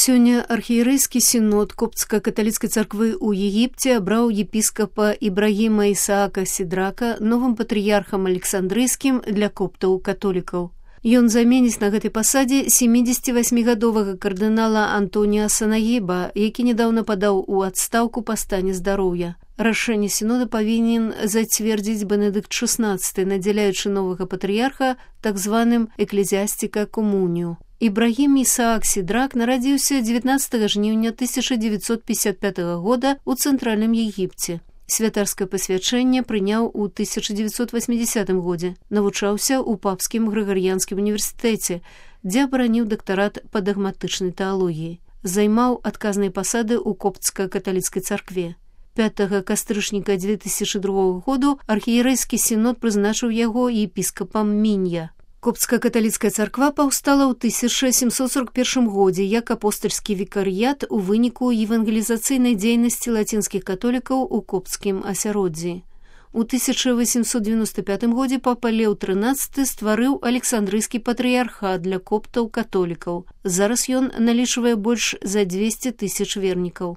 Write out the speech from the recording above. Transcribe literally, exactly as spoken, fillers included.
Сёння архіерэйскі сінод коптска-каталіцкай царквы ў Егіпце абраў епіскапа Ібрагіма Ісаака Сідрака новым патрыярхам александрыйскім для коптаў-католікаў. Ён заменіць на гэтай пасадзе сямідзесяцівасьмігадовага кардынала Антоніа Санагіба, які нядаўна падаў у адстаўку па стане здароўя. Рашэнне сінода павінен зацвердзіць Бенедыкт шаснаццаты, надзяляючы новага патрыярха так званым эклезіастіка комунію. Ібрагім Ісаак Сідрак нарадзіўся дзевятнаццатага жніўня тысяча дзевяцьсот пятьдесят пятага года ў цэнтральным Егіпце. Святарскае пасвячэнне прыняў у тысяча дзевяцьсот васьмідзесятым годзе. Навучаўся ў папскім грыгарыянскім універсітэце, дзе абараніў дактарат па дагматычнай тэалогіі. Займаў адказныя пасады ў коптска-каталіцкай царкве. пятага кастрычніка дзве тысячы другога году архіерэйскі сінод прызначыў яго епіскапам Мінья. Коптска-каталіцкая царква паўстала ў тысяча сямсот сорок першым годзе як апостальскі вікарыят у выніку евангелізацыйнай дзейнасці лацінскіх католікаў у копцкім асяроддзі. У тысяча васемсот дзевяноста пятым годзе папа Леў трынаццаты стварыў александрыйскі патрыярхат для коптаў-католікаў. Зараз ён налічвае больш за дзвесце тысяч вернікаў.